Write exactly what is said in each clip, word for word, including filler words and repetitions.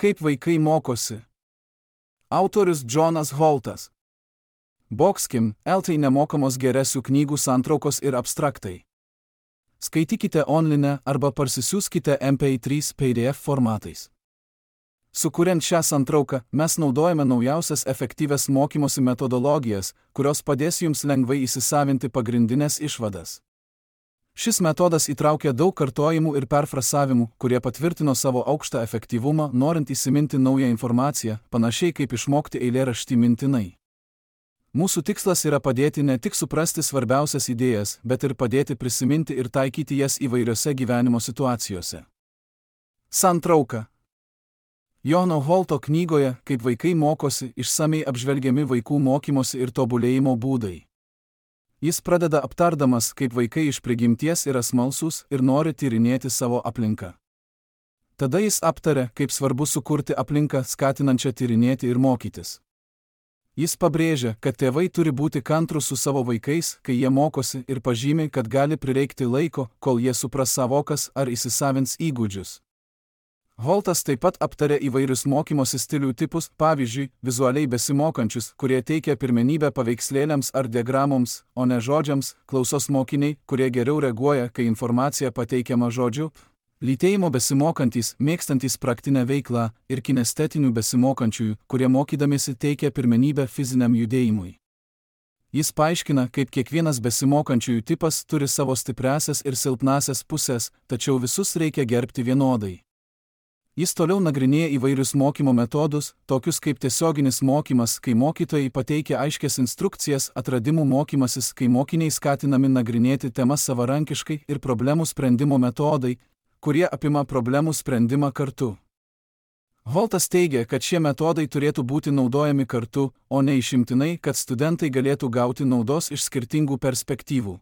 Kaip vaikai mokosi. Autorius Džonas Holtas. Boxkim, eltai nemokamos geresių knygų santraukos ir abstraktai. Skaitykite online arba parsisiųskite M P trys P D F formatais. Sukuriant šią santrauką, mes naudojame naujausias efektyvias mokymosi metodologijas, kurios padės jums lengvai įsisavinti pagrindinės išvadas. Šis metodas įtraukia daug kartojimų ir perfrasavimų, kurie patvirtino savo aukštą efektyvumą, norint įsiminti naują informaciją, panašiai kaip išmokti eilėraštį mintinai. Mūsų tikslas yra padėti ne tik suprasti svarbiausias idėjas, bet ir padėti prisiminti ir taikyti jas įvairiose gyvenimo situacijose. Santrauka. Jono Holto knygoje, Kaip vaikai mokosi, išsamiai apžvelgiami vaikų mokymosi ir tobulėjimo būdai. Jis pradeda aptardamas, kaip vaikai iš prigimties yra smalsūs ir nori tyrinėti savo aplinką. Tada jis aptaria, kaip svarbu sukurti aplinką, skatinančią tyrinėti ir mokytis. Jis pabrėžia, kad tėvai turi būti kantrūs su savo vaikais, kai jie mokosi, ir pažymi, kad gali prireikti laiko, kol jie supras savokas ar įsisavins įgūdžius. Holtas taip pat aptarė įvairius mokymosi stilių tipus, pavyzdžiui, vizualiai besimokančius, kurie teikia pirmenybę paveikslėliams ar diagramoms, o ne žodžiams, klausos mokiniai, kurie geriau reaguoja, kai informacija pateikiama žodžiu, lytėjimo besimokantys, mėgstantys praktinę veiklą, ir kinestetinių besimokančiųjų, kurie mokydamiesi teikia pirmenybę fiziniam judėjimui. Jis paaiškina, kaip kiekvienas besimokančiųjų tipas turi savo stipriąsias ir silpnąsias pusės, tačiau visus reikia gerbti vienodai. Jis toliau nagrinėja įvairius mokymo metodus, tokius kaip tiesioginis mokymas, kai mokytojai pateikia aiškias instrukcijas, atradimų mokymasis, kai mokiniai skatinami nagrinėti temas savarankiškai, ir problemų sprendimo metodai, kurie apima problemų sprendimą kartu. Holtas teigia, kad šie metodai turėtų būti naudojami kartu, o ne išimtinai, kad studentai galėtų gauti naudos iš skirtingų perspektyvų.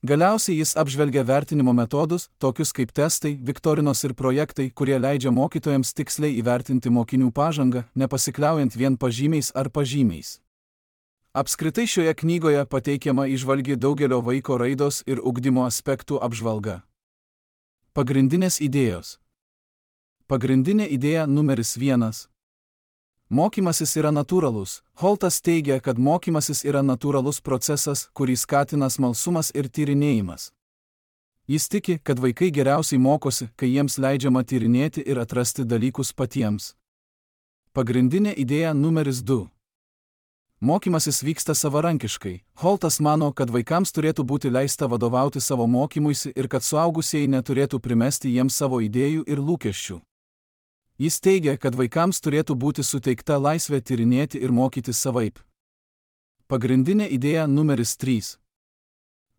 Galiausiai jis apžvelgia vertinimo metodus, tokius kaip testai, viktorinos ir projektai, kurie leidžia mokytojams tiksliai įvertinti mokinių pažangą, nepasikliaujant vien pažymiais ar pažymiais. Apskritai šioje knygoje pateikiama įžvalgi daugelio vaiko raidos ir ugdymo aspektų apžvalga. Pagrindinės idėjos. Pagrindinė idėja numeris vienas. Mokymasis yra natūralus. Holtas teigia, kad mokymasis yra natūralus procesas, kurį skatina smalsumas ir tyrinėjimas. Jis tiki, kad vaikai geriausiai mokosi, kai jiems leidžiama tyrinėti ir atrasti dalykus patiems. Pagrindinė idėja numeris du. Mokymasis vyksta savarankiškai. Holtas mano, kad vaikams turėtų būti leista vadovauti savo mokymuisi ir kad suaugusieji neturėtų primesti jiems savo idėjų ir lūkesčių. Jis teigia, kad vaikams turėtų būti suteikta laisvė tyrinėti ir mokytis savaip. Pagrindinė idėja numeris trys.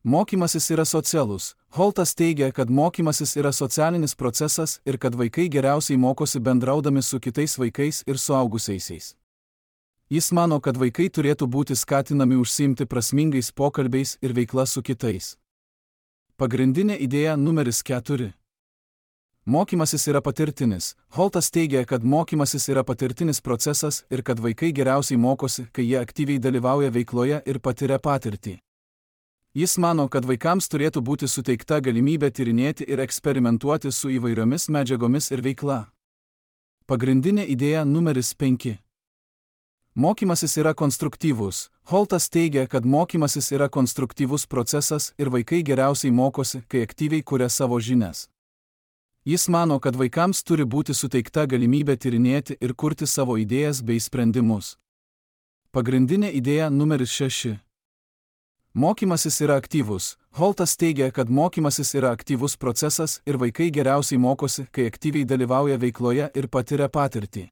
Mokymasis yra socialus. Holtas teigia, kad mokymasis yra socialinis procesas ir kad vaikai geriausiai mokosi bendraudami su kitais vaikais ir suaugusiaisiais. Jis mano, kad vaikai turėtų būti skatinami užsiimti prasmingais pokalbiais ir veikla su kitais. Pagrindinė idėja numeris keturi. Mokymasis yra patirtinis. Holtas teigia, kad mokymasis yra patirtinis procesas ir kad vaikai geriausiai mokosi, kai jie aktyviai dalyvauja veikloje ir patiria patirtį. Jis mano, kad vaikams turėtų būti suteikta galimybė tyrinėti ir eksperimentuoti su įvairiomis medžiagomis ir veikla. Pagrindinė idėja numeris penki. Mokymasis yra konstruktyvus. Holtas teigia, kad mokymasis yra konstruktyvus procesas ir vaikai geriausiai mokosi, kai aktyviai kuria savo žinias. Jis mano, kad vaikams turi būti suteikta galimybė tyrinėti ir kurti savo idėjas bei sprendimus. Pagrindinė idėja numeris šeši. Mokymasis yra aktyvus. Holtas teigia, kad mokymasis yra aktyvus procesas ir vaikai geriausiai mokosi, kai aktyviai dalyvauja veikloje ir patiria patirtį.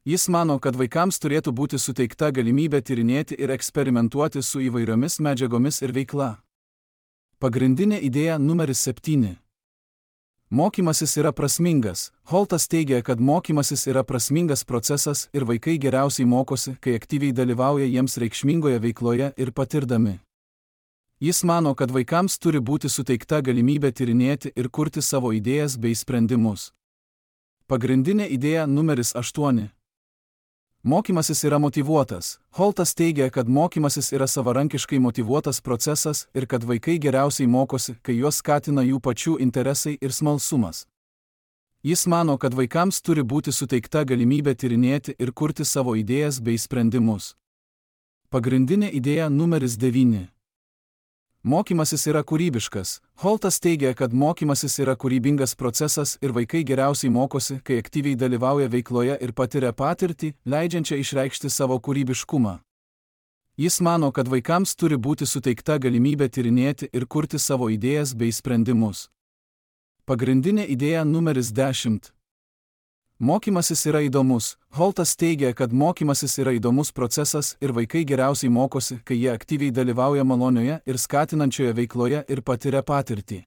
Jis mano, kad vaikams turėtų būti suteikta galimybė tyrinėti ir eksperimentuoti su įvairiomis medžiagomis ir veikla. Pagrindinė idėja numeris septyni. Mokymasis yra prasmingas. Holtas teigia, kad mokymasis yra prasmingas procesas ir vaikai geriausiai mokosi, kai aktyviai dalyvauja jiems reikšmingoje veikloje ir patirdami. Jis mano, kad vaikams turi būti suteikta galimybė tyrinėti ir kurti savo idėjas bei sprendimus. Pagrindinė idėja numeris aštuoni. Mokymasis yra motyvuotas. Holtas teigia, kad mokymasis yra savarankiškai motyvuotas procesas ir kad vaikai geriausiai mokosi, kai juos skatina jų pačių interesai ir smalsumas. Jis mano, kad vaikams turi būti suteikta galimybė tyrinėti ir kurti savo idėjas bei sprendimus. Pagrindinė idėja numeris devyni. Mokymasis yra kūrybiškas. Holtas teigia, kad mokymasis yra kūrybingas procesas ir vaikai geriausiai mokosi, kai aktyviai dalyvauja veikloje ir patiria patirtį, leidžiančią išreikšti savo kūrybiškumą. Jis mano, kad vaikams turi būti suteikta galimybė tyrinėti ir kurti savo idėjas bei sprendimus. Pagrindinė idėja numeris dešimt. Mokymasis yra įdomus. Holtas teigia, kad mokymasis yra įdomus procesas ir vaikai geriausiai mokosi, kai jie aktyviai dalyvauja malonioje ir skatinančioje veikloje ir patiria patirtį.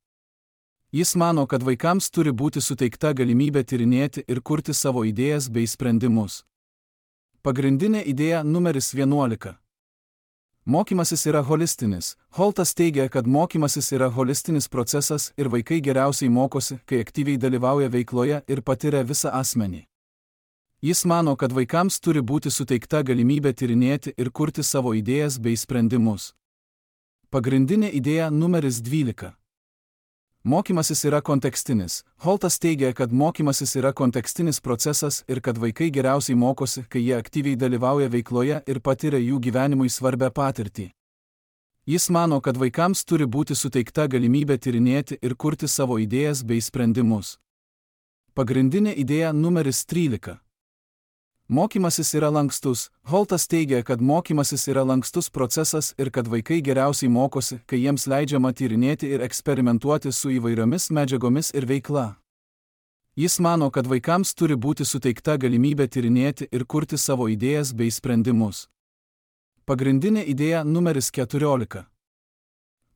Jis mano, kad vaikams turi būti suteikta galimybė tyrinėti ir kurti savo idėjas bei sprendimus. Pagrindinė idėja numeris vienuolika. Mokymasis yra holistinis. Holtas teigia, kad mokymasis yra holistinis procesas ir vaikai geriausiai mokosi, kai aktyviai dalyvauja veikloje ir patiria visą asmenį. Jis mano, kad vaikams turi būti suteikta galimybė tyrinėti ir kurti savo idėjas bei sprendimus. Pagrindinė idėja numeris dvylika. Mokymasis yra kontekstinis. Holtas teigia, kad mokymasis yra kontekstinis procesas ir kad vaikai geriausiai mokosi, kai jie aktyviai dalyvauja veikloje ir patiria jų gyvenimui svarbę patirtį. Jis mano, kad vaikams turi būti suteikta galimybė tyrinėti ir kurti savo idėjas bei sprendimus. Pagrindinė idėja numeris trylika. Mokymasis yra lankstus. Holtas teigia, kad mokymasis yra lankstus procesas ir kad vaikai geriausiai mokosi, kai jiems leidžiama tyrinėti ir eksperimentuoti su įvairiomis medžiagomis ir veikla. Jis mano, kad vaikams turi būti suteikta galimybė tyrinėti ir kurti savo idėjas bei sprendimus. Pagrindinė idėja numeris keturiolika.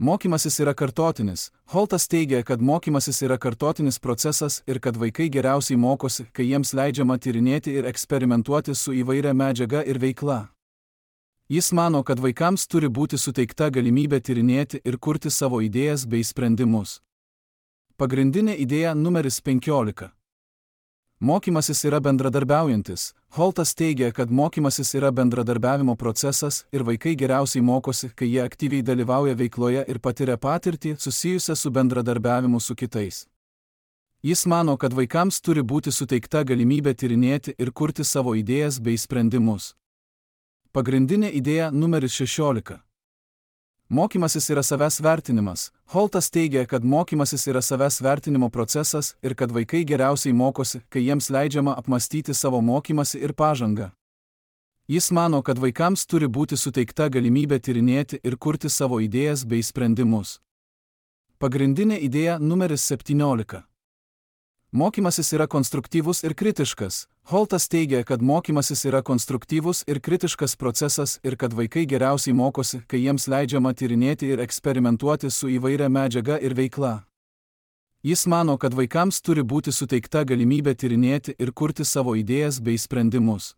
Mokymasis yra kartotinis. Holtas teigia, kad mokymasis yra kartotinis procesas ir kad vaikai geriausiai mokosi, kai jiems leidžiama tyrinėti ir eksperimentuoti su įvairia medžiaga ir veikla. Jis mano, kad vaikams turi būti suteikta galimybė tyrinėti ir kurti savo idėjas bei sprendimus. Pagrindinė idėja numeris penkiolika. Mokymasis yra bendradarbiaujantis. Holtas teigia, kad mokymasis yra bendradarbiavimo procesas ir vaikai geriausiai mokosi, kai jie aktyviai dalyvauja veikloje ir patiria patirtį susijusią su bendradarbiavimu su kitais. Jis mano, kad vaikams turi būti suteikta galimybė tyrinėti ir kurti savo idėjas bei sprendimus. Pagrindinė idėja numeris šešiolika. Mokymasis yra savęs vertinimas. Holtas teigia, kad mokymasis yra savęs vertinimo procesas ir kad vaikai geriausiai mokosi, kai jiems leidžiama apmastyti savo mokymasi ir pažangą. Jis mano, kad vaikams turi būti suteikta galimybė tyrinėti ir kurti savo idėjas bei sprendimus. Pagrindinė idėja numeris septyniolika. Mokymasis yra konstruktyvus ir kritiškas. Holtas teigia, kad mokymasis yra konstruktyvus ir kritiškas procesas ir kad vaikai geriausiai mokosi, kai jiems leidžiama tyrinėti ir eksperimentuoti su įvairia medžiaga ir veikla. Jis mano, kad vaikams turi būti suteikta galimybė tyrinėti ir kurti savo idėjas bei sprendimus.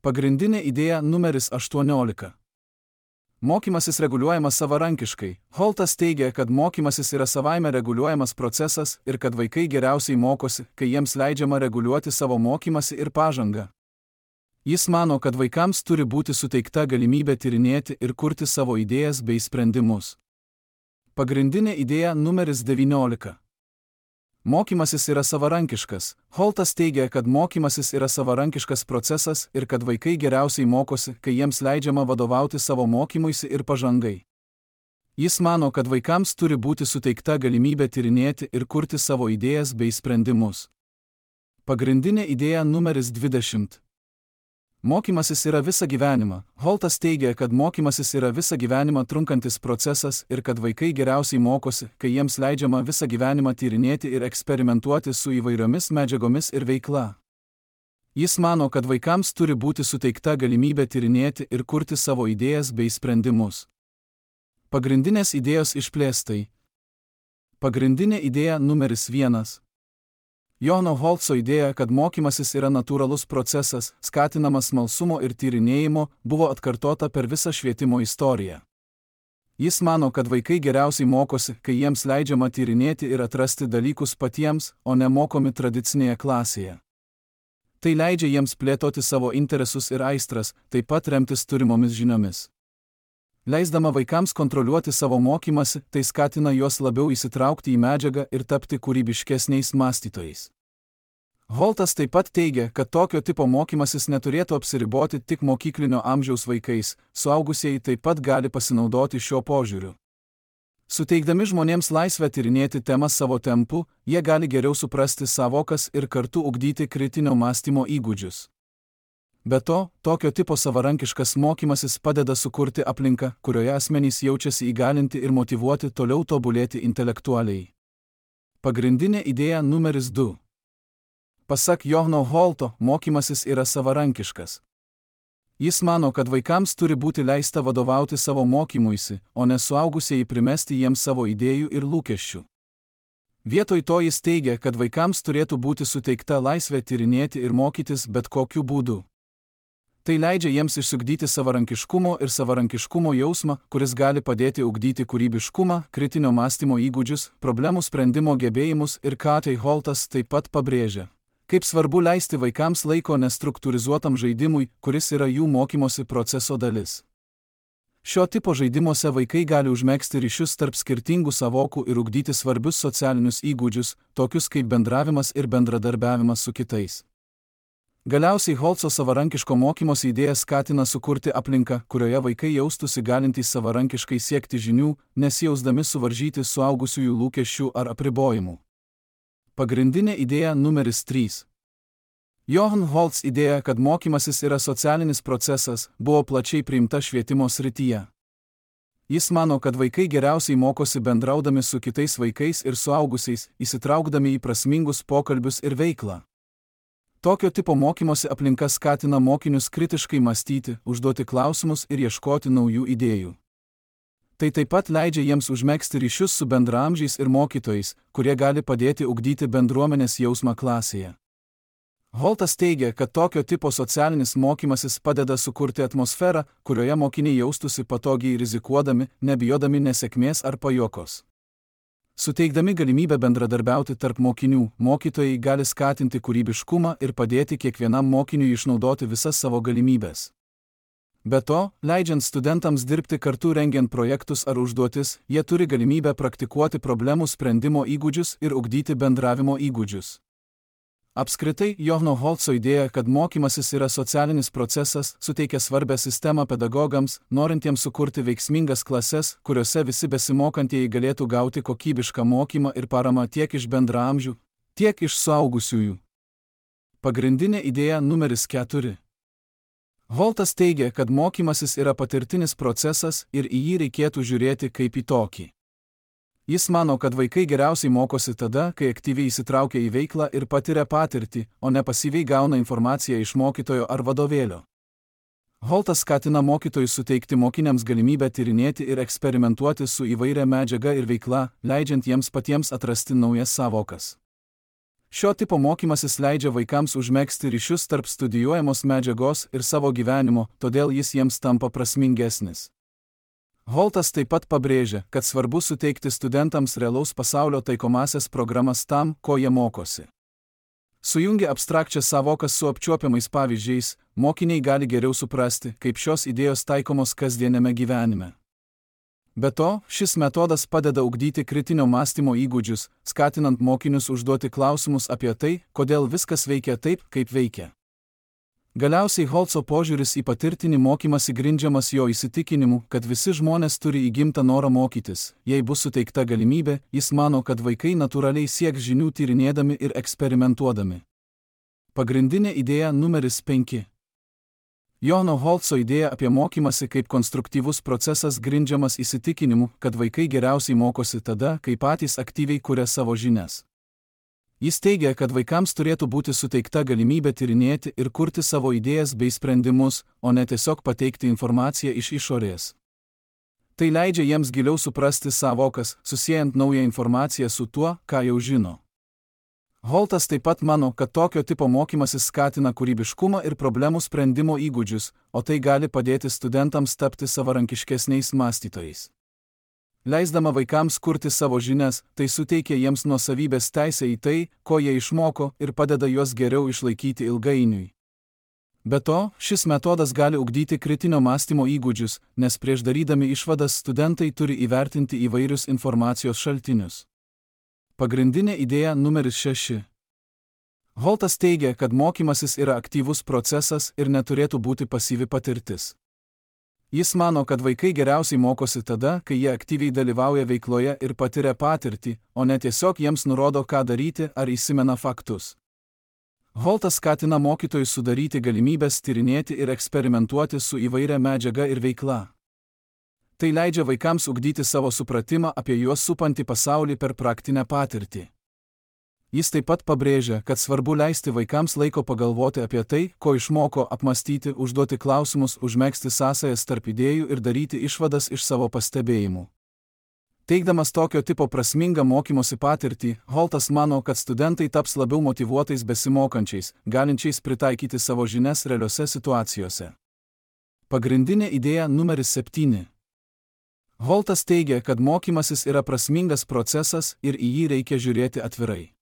Pagrindinė idėja numeris aštuoniolika. Mokymasis reguliuojamas savarankiškai. Holtas teigia, kad mokymasis yra savaime reguliuojamas procesas ir kad vaikai geriausiai mokosi, kai jiems leidžiama reguliuoti savo mokymasi ir pažangą. Jis mano, kad vaikams turi būti suteikta galimybė tyrinėti ir kurti savo idėjas bei sprendimus. Pagrindinė idėja numeris devyniolika. Mokymasis yra savarankiškas. Holtas teigia, kad mokymasis yra savarankiškas procesas ir kad vaikai geriausiai mokosi, kai jiems leidžiama vadovauti savo mokymuisi ir pažangai. Jis mano, kad vaikams turi būti suteikta galimybė tyrinėti ir kurti savo idėjas bei sprendimus. Pagrindinė idėja numeris dvidešimt. Mokymasis yra visą gyvenimą. Holtas teigia, kad mokymasis yra visą gyvenimą trunkantis procesas ir kad vaikai geriausiai mokosi, kai jiems leidžiama visą gyvenimą tyrinėti ir eksperimentuoti su įvairiomis medžiagomis ir veikla. Jis mano, kad vaikams turi būti suteikta galimybė tyrinėti ir kurti savo idėjas bei sprendimus. Pagrindinės idėjos išplėstai. Pagrindinė idėja numeris vienas. Johano Holtso idėja, kad mokymasis yra natūralus procesas, skatinamas smalsumo ir tyrinėjimo, buvo atkartota per visą švietimo istoriją. Jis mano, kad vaikai geriausiai mokosi, kai jiems leidžiama tyrinėti ir atrasti dalykus patiems, o ne mokomi tradicinėje klasėje. Tai leidžia jiems plėtoti savo interesus ir aistras, taip pat remtis turimomis žiniomis. Leisdama vaikams kontroliuoti savo mokymasi, tai skatina juos labiau įsitraukti į medžiagą ir tapti kūrybiškesniais mąstytojais. Holtas taip pat teigia, kad tokio tipo mokymasis neturėtų apsiriboti tik mokyklinio amžiaus vaikais, suaugusieji taip pat gali pasinaudoti šiuo požiūriu. Suteikdami žmonėms laisvę tyrinėti temas savo tempu, jie gali geriau suprasti savokas ir kartu ugdyti kritinio mąstymo įgūdžius. Be to, tokio tipo savarankiškas mokymasis padeda sukurti aplinką, kurioje asmenys jaučiasi įgalinti ir motyvuoti toliau tobulėti intelektualiai. Pagrindinė idėja numeris du. Pasak Johno Holto, mokymasis yra savarankiškas. Jis mano, kad vaikams turi būti leista vadovauti savo mokymuisi, o ne suaugusieji primesti jiems savo idėjų ir lūkesčių. Vietoj to jis teigia, kad vaikams turėtų būti suteikta laisvė tyrinėti ir mokytis bet kokiu būdu. Tai leidžia jiems išsiugdyti savarankiškumo ir savarankiškumo jausmą, kuris gali padėti ugdyti kūrybiškumą, kritinio mąstymo įgūdžius, problemų sprendimo gebėjimus ir ką tai Holtas taip pat pabrėžia. Kaip svarbu leisti vaikams laiko nestruktūrizuotam žaidimui, kuris yra jų mokymosi proceso dalis. Šio tipo žaidimuose vaikai gali užmegzti ryšius tarp skirtingų savokų ir ugdyti svarbius socialinius įgūdžius, tokius kaip bendravimas ir bendradarbiavimas su kitais. Galiausiai Holto savarankiško mokymosi idėja skatina sukurti aplinką, kurioje vaikai jaustųsi galintys savarankiškai siekti žinių, nesijausdami suvaržyti suaugusiųjų lūkesčių ar apribojimų. Pagrindinė idėja numeris trys. Johann Holts idėja, kad mokymasis yra socialinis procesas, buvo plačiai priimta švietimo srityje. Jis mano, kad vaikai geriausiai mokosi bendraudami su kitais vaikais ir suaugusiais, įsitraukdami į prasmingus pokalbius ir veiklą. Tokio tipo mokymosi aplinka skatina mokinius kritiškai mąstyti, užduoti klausimus ir ieškoti naujų idėjų. Tai taip pat leidžia jiems užmegzti ryšius su bendraamžiais ir mokytojais, kurie gali padėti ugdyti bendruomenės jausmą klasėje. Holtas teigia, kad tokio tipo socialinis mokymasis padeda sukurti atmosferą, kurioje mokiniai jaustųsi patogiai rizikuodami, nebijodami nesėkmės ar pajuokos. Suteikdami galimybę bendradarbiauti tarp mokinių, mokytojai gali skatinti kūrybiškumą ir padėti kiekvienam mokiniui išnaudoti visas savo galimybes. Be to, leidžiant studentams dirbti kartu rengiant projektus ar užduotis, jie turi galimybę praktikuoti problemų sprendimo įgūdžius ir ugdyti bendravimo įgūdžius. Apskritai, Johno Holto idėja, kad mokymasis yra socialinis procesas, suteikia svarbią sistemą pedagogams, norintiems sukurti veiksmingas klases, kuriuose visi besimokantieji galėtų gauti kokybišką mokymą ir paramą tiek iš bendraamžių, tiek iš suaugusiųjų. Pagrindinė idėja numeris keturi. Holtas teigia, kad mokymasis yra patirtinis procesas ir į jį reikėtų žiūrėti kaip į tokį. Jis mano, kad vaikai geriausiai mokosi tada, kai aktyviai įsitraukia į veiklą ir patiria patirtį, o ne pasyviai gauna informaciją iš mokytojo ar vadovėlio. Holtas skatina mokytojus suteikti mokiniams galimybę tyrinėti ir eksperimentuoti su įvairia medžiaga ir veikla, leidžiant jiems patiems atrasti naujas savokas. Šio tipo mokymasis leidžia vaikams užmegzti ryšius tarp studijuojamos medžiagos ir savo gyvenimo, todėl jis jiems tampa prasmingesnis. Holtas taip pat pabrėžia, kad svarbu suteikti studentams realaus pasaulio taikomąsias programas tam, ko jie mokosi. Sujungę abstrakčią savoką su apčiuopiamais pavyzdžiais, mokiniai gali geriau suprasti, kaip šios idėjos taikomos kasdieniame gyvenime. Be to, šis metodas padeda ugdyti kritinio mąstymo įgūdžius, skatinant mokinius užduoti klausimus apie tai, kodėl viskas veikia taip, kaip veikia. Galiausiai Holto požiūris į patirtinį mokymąsi grindžiamas jo įsitikinimu, kad visi žmonės turi įgimtą norą mokytis. Jei bus suteikta galimybė, jis mano, kad vaikai natūraliai sieks žinių tyrinėdami ir eksperimentuodami. Pagrindinė idėja numeris penki. Johno Holto idėja apie mokymąsi kaip konstruktyvus procesas grindžiamas įsitikinimu, kad vaikai geriausiai mokosi tada, kai patys aktyviai kuria savo žinias. Jis teigia, kad vaikams turėtų būti suteikta galimybė tyrinėti ir kurti savo idėjas bei sprendimus, o ne tiesiog pateikti informaciją iš išorės. Tai leidžia jiems giliau suprasti savokas, susiejant naują informaciją su tuo, ką jau žino. Holtas taip pat mano, kad tokio tipo mokymasis skatina kūrybiškumą ir problemų sprendimo įgūdžius, o tai gali padėti studentams tapti savarankiškesniais mąstytojais. Leisdama vaikams kurti savo žinias, tai suteikia jiems nuosavybės teisę į tai, ko jie išmoko ir padeda juos geriau išlaikyti ilgainiui. Be to, šis metodas gali ugdyti kritinio mąstymo įgūdžius, nes prieš darydami išvadas studentai turi įvertinti įvairius informacijos šaltinius. Pagrindinė idėja numeris šeši. Holtas teigia, kad mokymasis yra aktyvus procesas ir neturėtų būti pasyvi patirtis. Jis mano, kad vaikai geriausiai mokosi tada, kai jie aktyviai dalyvauja veikloje ir patiria patirtį, o ne tiesiog jiems nurodo, ką daryti ar įsimena faktus. Holtas skatina mokytojus sudaryti galimybės tyrinėti ir eksperimentuoti su įvairia medžiaga ir veikla. Tai leidžia vaikams ugdyti savo supratimą apie juos supantį pasaulį per praktinę patirtį. Jis taip pat pabrėžia, kad svarbu leisti vaikams laiko pagalvoti apie tai, ko išmoko, apmastyti, užduoti klausimus, užmegzti sąsajas tarp idėjų ir daryti išvadas iš savo pastebėjimų. Teigdamas tokio tipo prasmingą mokymosi patirtį, Holtas mano, kad studentai taps labiau motyvuotais besimokančiais, galinčiais pritaikyti savo žinias realiose situacijose. Pagrindinė idėja numeris septyni. Holtas teigia, kad mokymasis yra prasmingas procesas ir į jį reikia žiūrėti atvirai.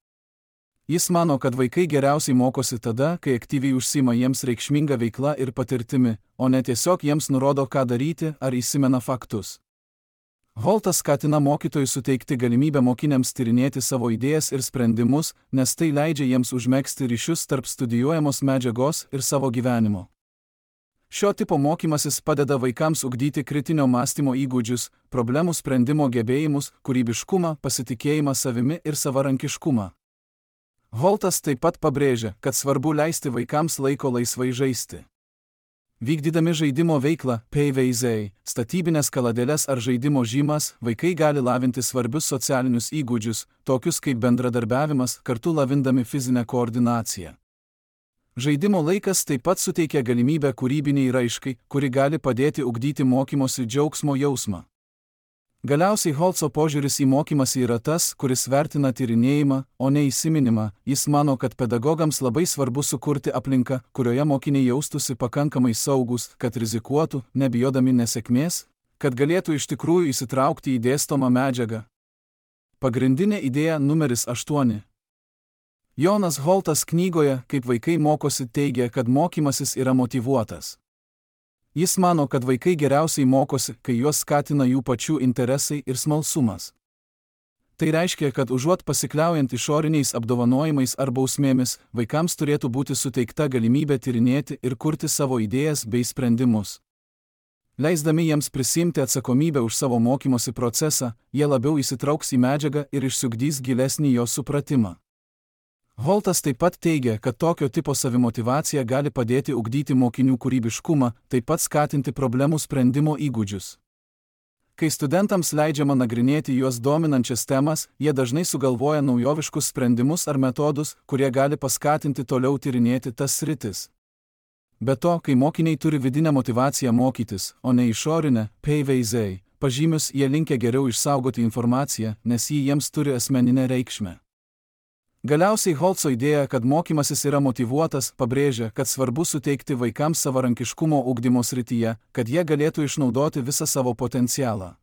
Jis mano, kad vaikai geriausiai mokosi tada, kai aktyviai užsima jiems reikšminga veikla ir patirtimi, o ne tiesiog jiems nurodo, ką daryti ar įsimena faktus. Holtas skatina mokytojus suteikti galimybę mokiniams tyrinėti savo idėjas ir sprendimus, nes tai leidžia jiems užmegzti ryšius tarp studijuojamos medžiagos ir savo gyvenimo. Šio tipo mokymasis padeda vaikams ugdyti kritinio mąstymo įgūdžius, problemų sprendimo gebėjimus, kūrybiškumą, pasitikėjimą savimi ir savarankiškumą. Holtas taip pat pabrėžia, kad svarbu leisti vaikams laiko laisvai žaisti. Vykdydami žaidimo veiklą, pavyzdžiui, statybinės kaladėles ar žaidimo žymas, vaikai gali lavinti svarbius socialinius įgūdžius, tokius kaip bendradarbiavimas, kartu lavindami fizinę koordinaciją. Žaidimo laikas taip pat suteikia galimybę kūrybiniai raiškai, kuri gali padėti ugdyti mokymosi džiaugsmo jausmą. Galiausiai Holtso požiūris į mokymąsi yra tas, kuris vertina tyrinėjimą, o ne įsiminimą. Jis mano, kad pedagogams labai svarbu sukurti aplinką, kurioje mokiniai jaustųsi pakankamai saugus, kad rizikuotų, nebijodami nesėkmės, kad galėtų iš tikrųjų įsitraukti į dėstomą medžiagą. Pagrindinė idėja numeris aštuoni. Jonas Holtas knygoje, kaip vaikai mokosi, teigia, kad mokymasis yra motyvuotas. Jis mano, kad vaikai geriausiai mokosi, kai juos skatina jų pačių interesai ir smalsumas. Tai reiškia, kad užuot pasikliaujant išoriniais apdovanojimais ar bausmėmis, vaikams turėtų būti suteikta galimybė tyrinėti ir kurti savo idėjas bei sprendimus. Leisdami jiems prisiimti atsakomybę už savo mokymosi procesą, jie labiau įsitrauks į medžiagą ir išsiugdys gilesnį jos supratimą. Holtas taip pat teigia, kad tokio tipo savimotyvacija gali padėti ugdyti mokinių kūrybiškumą, taip pat skatinti problemų sprendimo įgūdžius. Kai studentams leidžiama nagrinėti juos dominančias temas, jie dažnai sugalvoja naujoviškus sprendimus ar metodus, kurie gali paskatinti toliau tyrinėti tas sritis. Be to, kai mokiniai turi vidinę motyvaciją mokytis, o ne išorinę, pavyzdžiui, pažymius, jie linkę geriau išsaugoti informaciją, nes ji jiems turi asmeninę reikšmę. Galiausiai Holtso idėja, kad mokymasis yra motyvuotas, pabrėžia, kad svarbu suteikti vaikams savarankiškumo ugdymo srityje, kad jie galėtų išnaudoti visą savo potencialą.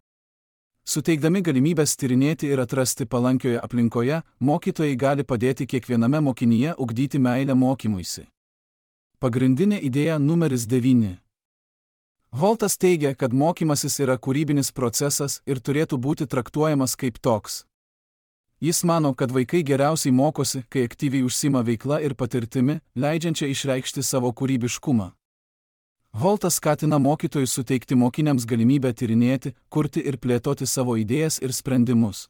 Suteikdami galimybės tyrinėti ir atrasti palankioje aplinkoje, mokytojai gali padėti kiekviename mokinyje ugdyti meilę mokymuisi. Pagrindinė idėja numeris devyni. Holtas teigia, kad mokymasis yra kūrybinis procesas ir turėtų būti traktuojamas kaip toks. Jis mano, kad vaikai geriausiai mokosi, kai aktyviai užsima veikla ir patirtimi, leidžiančia išreikšti savo kūrybiškumą. Holtas skatina mokytojus suteikti mokiniams galimybę tyrinėti, kurti ir plėtoti savo idėjas ir sprendimus.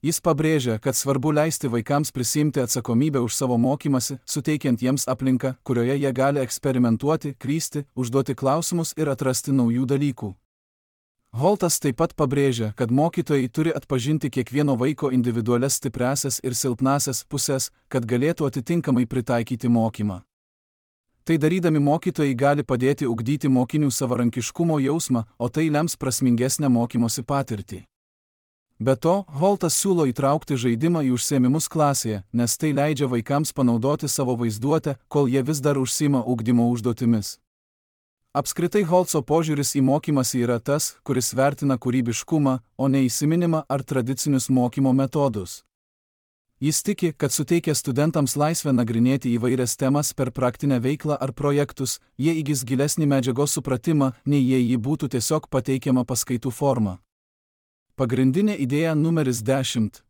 Jis pabrėžia, kad svarbu leisti vaikams prisiimti atsakomybę už savo mokymąsi, suteikiant jiems aplinką, kurioje jie gali eksperimentuoti, klysti, užduoti klausimus ir atrasti naujų dalykų. Holtas taip pat pabrėžia, kad mokytojai turi atpažinti kiekvieno vaiko individualias stipriąsias ir silpnąsias pusės, kad galėtų atitinkamai pritaikyti mokymą. Tai darydami mokytojai gali padėti ugdyti mokinių savarankiškumo jausmą, o tai lems prasmingesnę mokymosi patirtį. Be to, Holtas siūlo įtraukti žaidimą į užsiėmimus klasėje, nes tai leidžia vaikams panaudoti savo vaizduotę, kol jie vis dar užsiima ugdymo užduotimis. Apskritai Holtso požiūris į mokymąsi yra tas, kuris vertina kūrybiškumą, o ne įsiminimą ar tradicinius mokymo metodus. Jis tiki, kad suteikia studentams laisvę nagrinėti įvairias temas per praktinę veiklą ar projektus, jie įgis gilesnį medžiagos supratimą, nei jei ji būtų tiesiog pateikiama paskaitų forma. Pagrindinė idėja numeris dešimt.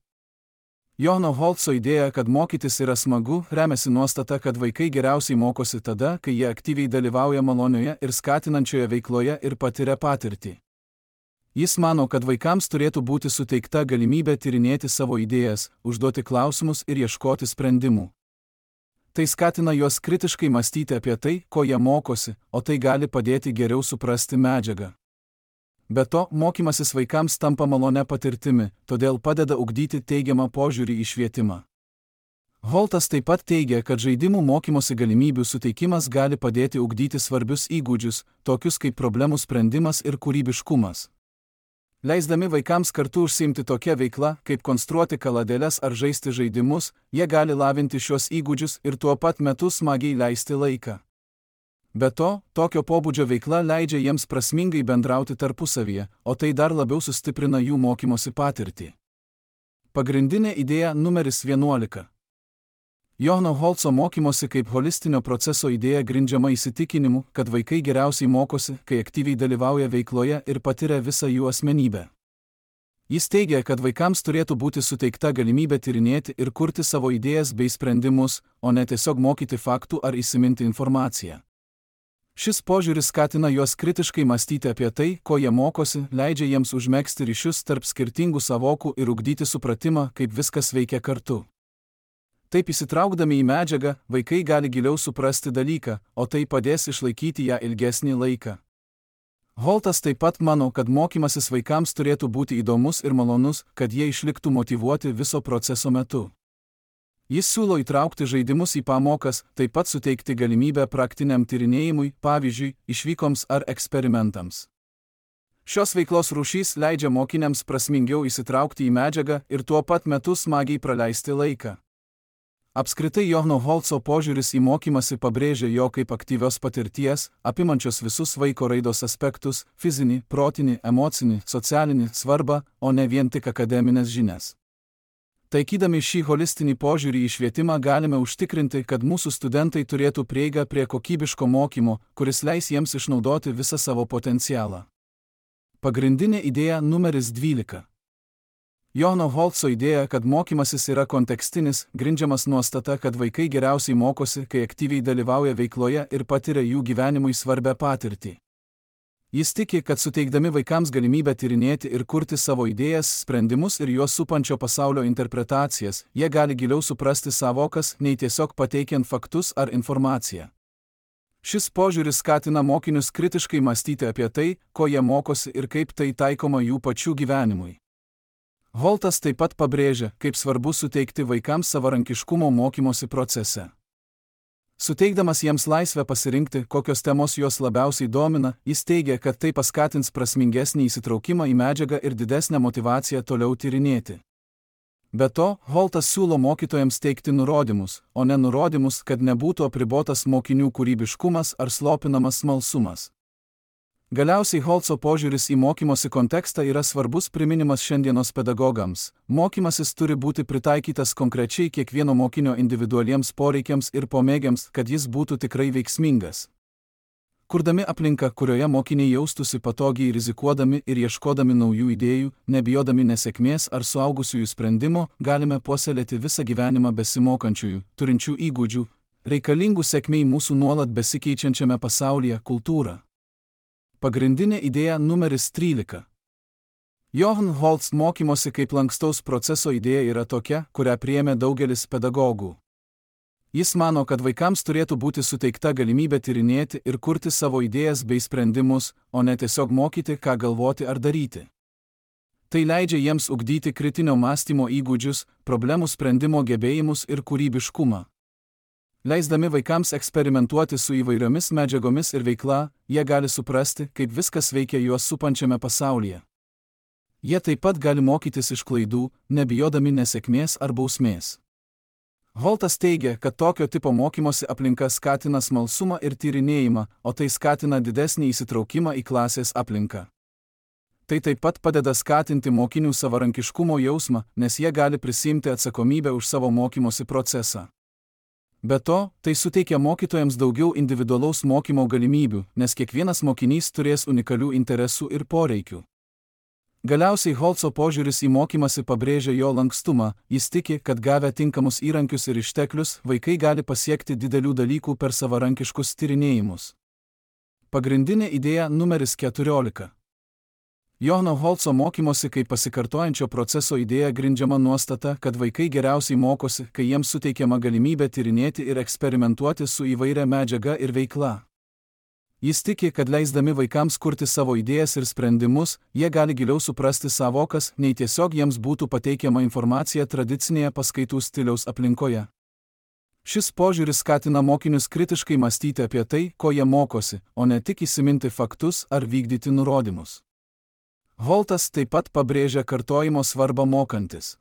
Johno Holtso idėja, kad mokytis yra smagu, remiasi nuostata, kad vaikai geriausiai mokosi tada, kai jie aktyviai dalyvauja malonioje ir skatinančioje veikloje ir patiria patirtį. Jis mano, kad vaikams turėtų būti suteikta galimybė tyrinėti savo idėjas, užduoti klausimus ir ieškoti sprendimų. Tai skatina juos kritiškai mąstyti apie tai, ko jie mokosi, o tai gali padėti geriau suprasti medžiagą. Be to, mokymasis vaikams tampa malone patirtimi, todėl padeda ugdyti teigiamą požiūrį į švietimą. Holtas taip pat teigia, kad žaidimų mokymosi galimybių suteikimas gali padėti ugdyti svarbius įgūdžius, tokius kaip problemų sprendimas ir kūrybiškumas. Leisdami vaikams kartu užsiimti tokią veiklą, kaip konstruoti kaladėles ar žaisti žaidimus, jie gali lavinti šios įgūdžius ir tuo pat metu smagiai leisti laiką. Be to, tokio pobūdžio veikla leidžia jiems prasmingai bendrauti tarpusavyje, o tai dar labiau sustiprina jų mokymosi patirtį. Pagrindinė idėja numeris vienuolika. Johno Holtso mokymosi kaip holistinio proceso idėja grindžiama įsitikinimu, kad vaikai geriausiai mokosi, kai aktyviai dalyvauja veikloje ir patiria visą jų asmenybę. Jis teigia, kad vaikams turėtų būti suteikta galimybė tyrinėti ir kurti savo idėjas bei sprendimus, o ne tiesiog mokyti faktų ar įsiminti informaciją. Šis požiūris skatina juos kritiškai mąstyti apie tai, ko jie mokosi, leidžia jiems užmegzti ryšius tarp skirtingų savokų ir ugdyti supratimą, kaip viskas veikia kartu. Taip įsitraukdami į medžiagą, vaikai gali giliau suprasti dalyką, o tai padės išlaikyti ją ilgesnį laiką. Holtas taip pat mano, kad mokymasis vaikams turėtų būti įdomus ir malonus, kad jie išliktų motyvuoti viso proceso metu. Jis siūlo įtraukti žaidimus į pamokas, taip pat suteikti galimybę praktiniam tyrinėjimui, pavyzdžiui, išvykoms ar eksperimentams. Šios veiklos rūšys leidžia mokiniams prasmingiau įsitraukti į medžiagą ir tuo pat metu smagiai praleisti laiką. Apskritai Johno Holtso požiūris į mokymąsi pabrėžia jo kaip aktyvios patirties, apimančios visus vaiko raidos aspektus – fizinį, protinį, emocinį, socialinį svarbą, o ne vien tik akademinės žinias. Taikydami šį holistinį požiūrį į švietimą galime užtikrinti, kad mūsų studentai turėtų prieigą prie kokybiško mokymo, kuris leis jiems išnaudoti visą savo potencialą. Pagrindinė idėja numeris dvylika. Johno Holtso idėja, kad mokymasis yra kontekstinis, grindžiamas nuostata, kad vaikai geriausiai mokosi, kai aktyviai dalyvauja veikloje ir patiria jų gyvenimui svarbią patirtį. Jis tiki, kad suteikdami vaikams galimybę tyrinėti ir kurti savo idėjas, sprendimus ir juos supančio pasaulio interpretacijas, jie gali giliau suprasti savokas, nei tiesiog pateikiant faktus ar informaciją. Šis požiūris skatina mokinius kritiškai mąstyti apie tai, ko jie mokosi ir kaip tai taikoma jų pačių gyvenimui. Holtas taip pat pabrėžia, kaip svarbu suteikti vaikams savarankiškumo mokymosi procese. Suteikdamas jiems laisvę pasirinkti, kokios temos juos labiausiai domina, jis teigia, kad tai paskatins prasmingesnį įsitraukimą į medžiagą ir didesnę motyvaciją toliau tyrinėti. Be to, Holtas siūlo mokytojams teikti nurodymus, o ne nurodymus, kad nebūtų apribotas mokinių kūrybiškumas ar slopinamas smalsumas. Galiausiai Holtso požiūris į mokymosi kontekstą yra svarbus priminimas šiandienos pedagogams. Mokymasis turi būti pritaikytas konkrečiai kiekvieno mokinio individualiems poreikiams ir pomėgiams, kad jis būtų tikrai veiksmingas. Kurdami aplinką, kurioje mokiniai jaustųsi patogiai rizikuodami ir ieškodami naujų idėjų, nebijodami nesėkmės ar suaugusiųjų sprendimo, galime puoselėti visą gyvenimą besimokančiųjų, turinčių įgūdžių, reikalingų sėkmei mūsų nuolat besikeičiančiame pasaulyje kultūrą. Pagrindinė idėja numeris trylika. John Holtz mokymosi kaip lankstaus proceso idėja yra tokia, kurią priėmė daugelis pedagogų. Jis mano, kad vaikams turėtų būti suteikta galimybė tyrinėti ir kurti savo idėjas bei sprendimus, o ne tiesiog mokyti, ką galvoti ar daryti. Tai leidžia jiems ugdyti kritinio mąstymo įgūdžius, problemų sprendimo gebėjimus ir kūrybiškumą. Leisdami vaikams eksperimentuoti su įvairiomis medžiagomis ir veikla, jie gali suprasti, kaip viskas veikia juos supančiame pasaulyje. Jie taip pat gali mokytis iš klaidų, nebijodami nesėkmės ar bausmės. Holtas teigia, kad tokio tipo mokymosi aplinka skatina smalsumą ir tyrinėjimą, o tai skatina didesnį įsitraukimą į klasės aplinką. Tai taip pat padeda skatinti mokinių savarankiškumo jausmą, nes jie gali prisiimti atsakomybę už savo mokymosi procesą. Be to, tai suteikia mokytojams daugiau individualaus mokymo galimybių, nes kiekvienas mokinys turės unikalių interesų ir poreikių. Galiausiai Holtso požiūris į mokymąsi pabrėžia jo lankstumą, jis tiki, kad gavę tinkamus įrankius ir išteklius, vaikai gali pasiekti didelių dalykų per savarankiškus tyrinėjimus. Pagrindinė idėja numeris keturiolika. Johano Holtso mokymosi kaip pasikartojančio proceso idėja grindžiama nuostata, kad vaikai geriausiai mokosi, kai jiems suteikiama galimybė tyrinėti ir eksperimentuoti su įvairia medžiaga ir veikla. Jis tiki, kad leisdami vaikams kurti savo idėjas ir sprendimus, jie gali giliau suprasti savokas, nei tiesiog jiems būtų pateikiama informacija tradicinėje paskaitų stiliaus aplinkoje. Šis požiūris skatina mokinius kritiškai mąstyti apie tai, ko jie mokosi, o ne tik įsiminti faktus ar vykdyti nurodymus. Holtas taip pat pabrėžia kartojimo svarbą mokantis.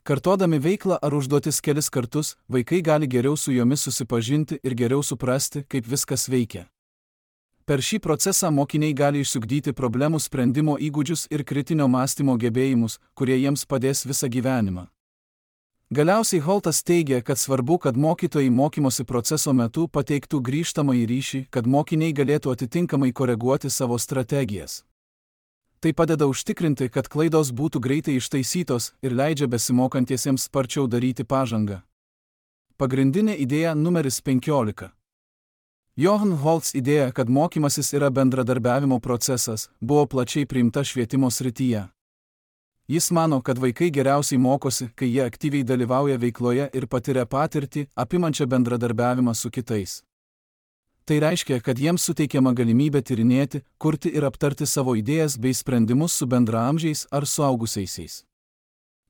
Kartodami veiklą ar užduotis kelis kartus, vaikai gali geriau su jomis susipažinti ir geriau suprasti, kaip viskas veikia. Per šį procesą mokiniai gali išsiugdyti problemų sprendimo įgūdžius ir kritinio mąstymo gebėjimus, kurie jiems padės visą gyvenimą. Galiausiai Holtas teigia, kad svarbu, kad mokytojai mokymosi proceso metu pateiktų grįžtamąjį ryšį, kad mokiniai galėtų atitinkamai koreguoti savo strategijas. Tai padeda užtikrinti, kad klaidos būtų greitai ištaisytos ir leidžia besimokantiesiems sparčiau daryti pažangą. Pagrindinė idėja numeris penkiolika. Johann Holtz idėja, kad mokymasis yra bendradarbiavimo procesas, buvo plačiai priimta švietimo srityje. Jis mano, kad vaikai geriausiai mokosi, kai jie aktyviai dalyvauja veikloje ir patiria patirtį, apimančią bendradarbiavimą su kitais. Tai reiškia, kad jiems suteikiama galimybė tyrinėti, kurti ir aptarti savo idėjas bei sprendimus su bendraamžiais ar suaugusiaisiais.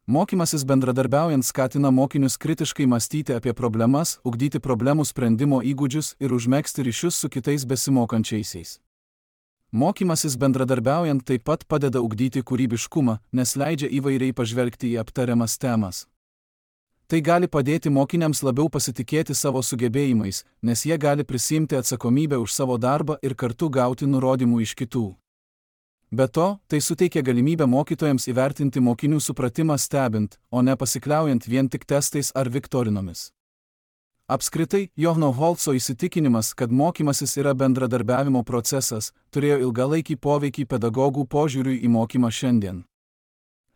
Mokymasis bendradarbiaujant skatina mokinius kritiškai mąstyti apie problemas, ugdyti problemų sprendimo įgūdžius ir užmegzti ryšius su kitais besimokančiaisiais. Mokymasis bendradarbiaujant taip pat padeda ugdyti kūrybiškumą, nes leidžia įvairiai pažvelgti į aptariamas temas. Tai gali padėti mokiniams labiau pasitikėti savo sugebėjimais, nes jie gali prisiimti atsakomybę už savo darbą ir kartu gauti nurodymų iš kitų. Be to, tai suteikia galimybę mokytojams įvertinti mokinių supratimą stebint, o ne pasikliaujant vien tik testais ar viktorinomis. Apskritai, Johano Holtso įsitikinimas, kad mokymasis yra bendradarbiavimo procesas, turėjo ilgalaikį poveikį pedagogų požiūriui į mokymą šiandien.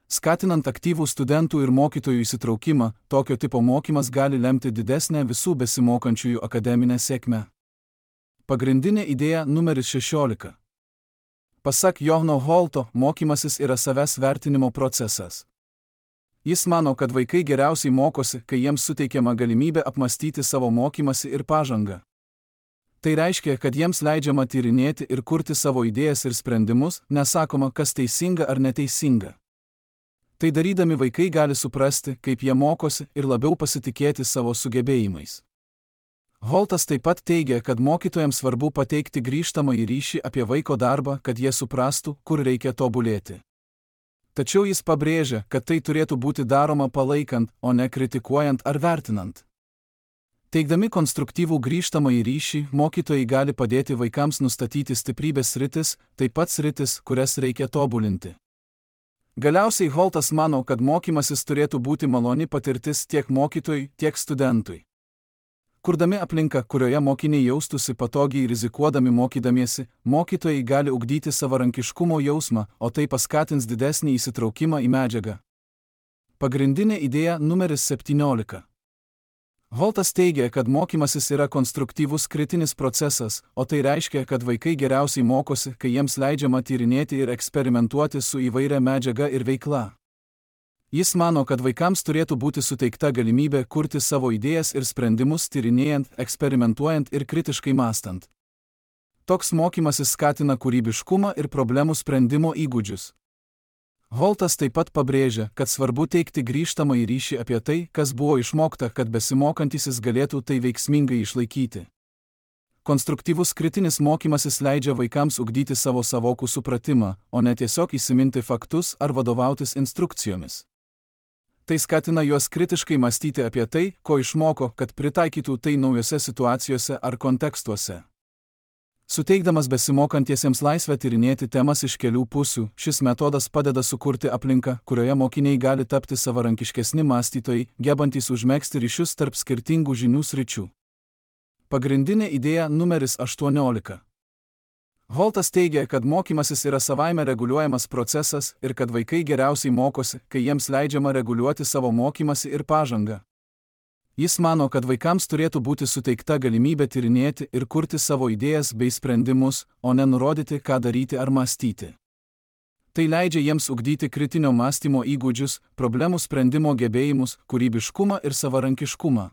Skatinant aktyvų studentų ir mokytojų įsitraukimą, tokio tipo mokymas gali lemti didesnę visų besimokančiųjų akademinę sėkmę. Pagrindinė idėja numeris šešiolika. Pasak Johano Holto, mokymasis yra savęs vertinimo procesas. Jis mano, kad vaikai geriausiai mokosi, kai jiems suteikiama galimybė apmastyti savo mokymasi ir pažangą. Tai reiškia, kad jiems leidžiama tyrinėti ir kurti savo idėjas ir sprendimus, nesakoma, kas teisinga ar neteisinga. Tai darydami vaikai gali suprasti, kaip jie mokosi ir labiau pasitikėti savo sugebėjimais. Holtas taip pat teigia, kad mokytojams svarbu pateikti grįžtamąjį ryšį apie vaiko darbą, kad jie suprastų, kur reikia tobulėti. Tačiau jis pabrėžia, kad tai turėtų būti daroma palaikant, o ne kritikuojant ar vertinant. Teikdami konstruktyvų grįžtamąjį ryšį, mokytojai gali padėti vaikams nustatyti stiprybės sritis, taip pat sritis, kurias reikia tobulinti. Galiausiai Holtas mano, kad mokymasis turėtų būti maloni patirtis tiek mokytojui, tiek studentui. Kurdami aplinką, kurioje mokiniai jaustųsi patogiai rizikuodami mokydamiesi, mokytojai gali ugdyti savarankiškumo jausmą, o tai paskatins didesnį įsitraukimą į medžiagą. Pagrindinė idėja numeris septyniolika. Holtas teigia, kad mokymasis yra konstruktyvus kritinis procesas, o tai reiškia, kad vaikai geriausiai mokosi, kai jiems leidžiama tyrinėti ir eksperimentuoti su įvairia medžiaga ir veikla. Jis mano, kad vaikams turėtų būti suteikta galimybė kurti savo idėjas ir sprendimus tyrinėjant, eksperimentuojant ir kritiškai mąstant. Toks mokymasis skatina kūrybiškumą ir problemų sprendimo įgūdžius. Holtas taip pat pabrėžia, kad svarbu teikti grįžtamąjį ryšį apie tai, kas buvo išmokta, kad besimokantysis galėtų tai veiksmingai išlaikyti. Konstruktyvus kritinis mokymasis leidžia vaikams ugdyti savo savokų supratimą, o ne tiesiog įsiminti faktus ar vadovautis instrukcijomis. Tai skatina juos kritiškai mąstyti apie tai, ko išmoko, kad pritaikytų tai naujose situacijose ar kontekstuose. Suteikdamas besimokantiesiems laisvę tyrinėti temas iš kelių pusių, šis metodas padeda sukurti aplinką, kurioje mokiniai gali tapti savarankiškesni mąstytojai, gebantys užmegzti ryšius tarp skirtingų žinių sričių. Pagrindinė idėja numeris aštuoniolika. Holtas teigia, kad mokymasis yra savaime reguliuojamas procesas ir kad vaikai geriausiai mokosi, kai jiems leidžiama reguliuoti savo mokymasi ir pažangą. Jis mano, kad vaikams turėtų būti suteikta galimybė tyrinėti ir kurti savo idėjas bei sprendimus, o ne nurodyti, ką daryti ar mąstyti. Tai leidžia jiems ugdyti kritinio mąstymo įgūdžius, problemų sprendimo gebėjimus, kūrybiškumą ir savarankiškumą.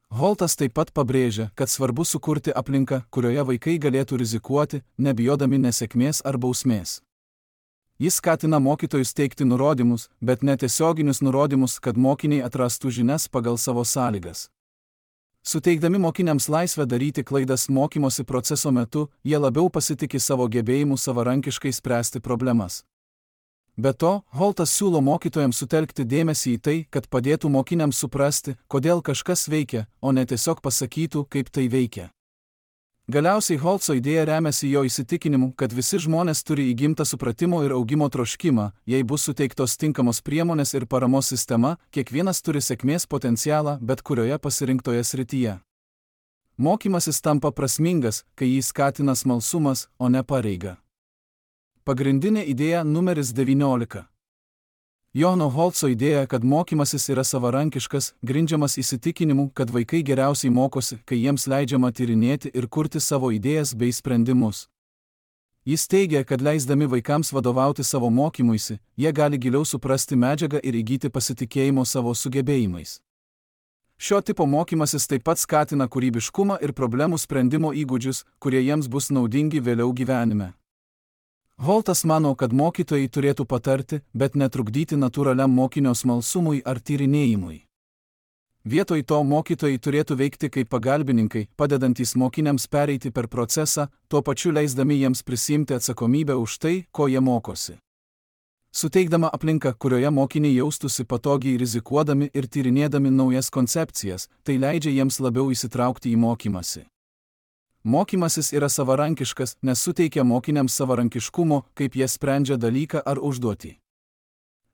Holtas taip pat pabrėžia, kad svarbu sukurti aplinką, kurioje vaikai galėtų rizikuoti, nebijodami nesėkmės ar bausmės. Jis skatina mokytojus teikti nurodymus, bet netiesioginius nurodymus, kad mokiniai atrastų žinias pagal savo sąlygas. Suteikdami mokiniams laisvę daryti klaidas mokymosi proceso metu, jie labiau pasitiki savo gebėjimu savarankiškai spręsti problemas. Be to, Holtas siūlo mokytojams sutelkti dėmesį į tai, kad padėtų mokiniams suprasti, kodėl kažkas veikia, o ne tiesiog pasakytų, kaip tai veikia. Galiausiai Holtso idėja remiasi jo įsitikinimu, kad visi žmonės turi įgimtą supratimo ir augimo troškimą, jei bus suteiktos tinkamos priemonės ir paramos sistema, kiekvienas turi sėkmės potencialą bet kurioje pasirinktoje srityje. Mokymasis tampa prasmingas, kai jį skatina smalsumas, o ne pareiga. Pagrindinė idėja numeris devyniolika. Johano Holtso idėja, kad mokymasis yra savarankiškas, grindžiamas įsitikinimu, kad vaikai geriausiai mokosi, kai jiems leidžiama tyrinėti ir kurti savo idėjas bei sprendimus. Jis teigia, kad leisdami vaikams vadovauti savo mokymuisi, jie gali giliau suprasti medžiagą ir įgyti pasitikėjimo savo sugebėjimais. Šio tipo mokymasis taip pat skatina kūrybiškumą ir problemų sprendimo įgūdžius, kurie jiems bus naudingi vėliau gyvenime. Holtas mano, kad mokytojai turėtų patarti, bet netrukdyti natūraliam mokinio smalsumui ar tyrinėjimui. Vietoj to mokytojai turėtų veikti kaip pagalbininkai, padedantys mokiniams pereiti per procesą, tuo pačiu leisdami jiems prisiimti atsakomybę už tai, ko jie mokosi. Suteikdama aplinką, kurioje mokiniai jaustųsi patogiai rizikuodami ir tyrinėdami naujas koncepcijas, tai leidžia jiems labiau įsitraukti į mokymasi. Mokymasis yra savarankiškas, nes suteikia mokiniams savarankiškumo, kaip jie sprendžia dalyką ar užduotį.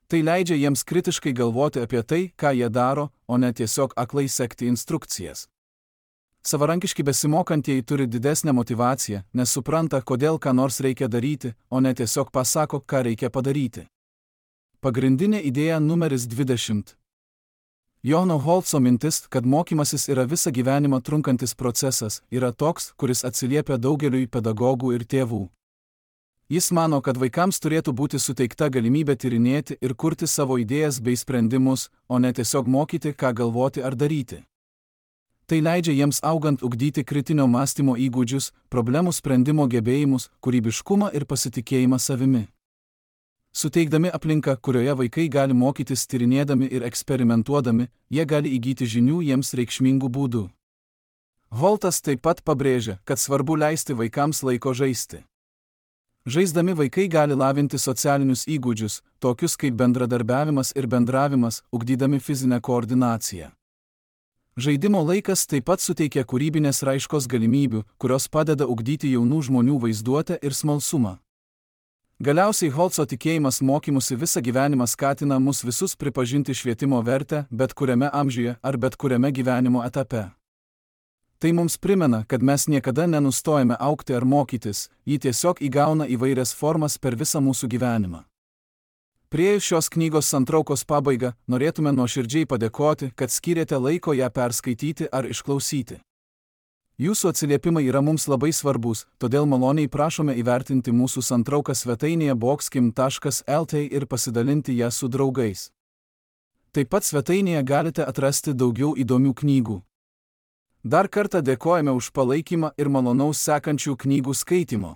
Tai leidžia jiems kritiškai galvoti apie tai, ką jie daro, o ne tiesiog aklai sekti instrukcijas. Savarankiški besimokantieji turi didesnę motyvaciją, nes supranta, kodėl ką nors reikia daryti, o ne tiesiog pasako, ką reikia padaryti. Pagrindinė idėja numeris dvidešimt. Johano Holtso mintis, kad mokymasis yra visą gyvenimą trunkantis procesas, yra toks, kuris atsiliepia daugeliui pedagogų ir tėvų. Jis mano, kad vaikams turėtų būti suteikta galimybė tyrinėti ir kurti savo idėjas bei sprendimus, o ne tiesiog mokyti, ką galvoti ar daryti. Tai leidžia jiems augant ugdyti kritinio mąstymo įgūdžius, problemų sprendimo gebėjimus, kūrybiškumą ir pasitikėjimą savimi. Suteikdami aplinką, kurioje vaikai gali mokytis tyrinėdami ir eksperimentuodami, jie gali įgyti žinių jiems reikšmingų būdų. Holtas taip pat pabrėžia, kad svarbu leisti vaikams laiko žaisti. Žaisdami vaikai gali lavinti socialinius įgūdžius, tokius kaip bendradarbiavimas ir bendravimas, ugdydami fizinę koordinaciją. Žaidimo laikas taip pat suteikia kūrybinės raiškos galimybių, kurios padeda ugdyti jaunų žmonių vaizduotę ir smalsumą. Galiausiai Holtso tikėjimas mokymusi visą gyvenimą skatina mus visus pripažinti švietimo vertę bet kuriame amžiuje ar bet kuriame gyvenimo etape. Tai mums primena, kad mes niekada nenustojame augti ar mokytis, ji tiesiog įgauna įvairias formas per visą mūsų gyvenimą. Priėjus šios knygos santraukos pabaigą, norėtume nuoširdžiai padėkoti, kad skyrėte laiko ją perskaityti ar išklausyti. Jūsų atsiliepimai yra mums labai svarbus, todėl maloniai prašome įvertinti mūsų santrauką svetainėje boxkim taškas lt ir pasidalinti ją su draugais. Taip pat svetainėje galite atrasti daugiau įdomių knygų. Dar kartą dėkojame už palaikymą ir malonaus sekančių knygų skaitimo.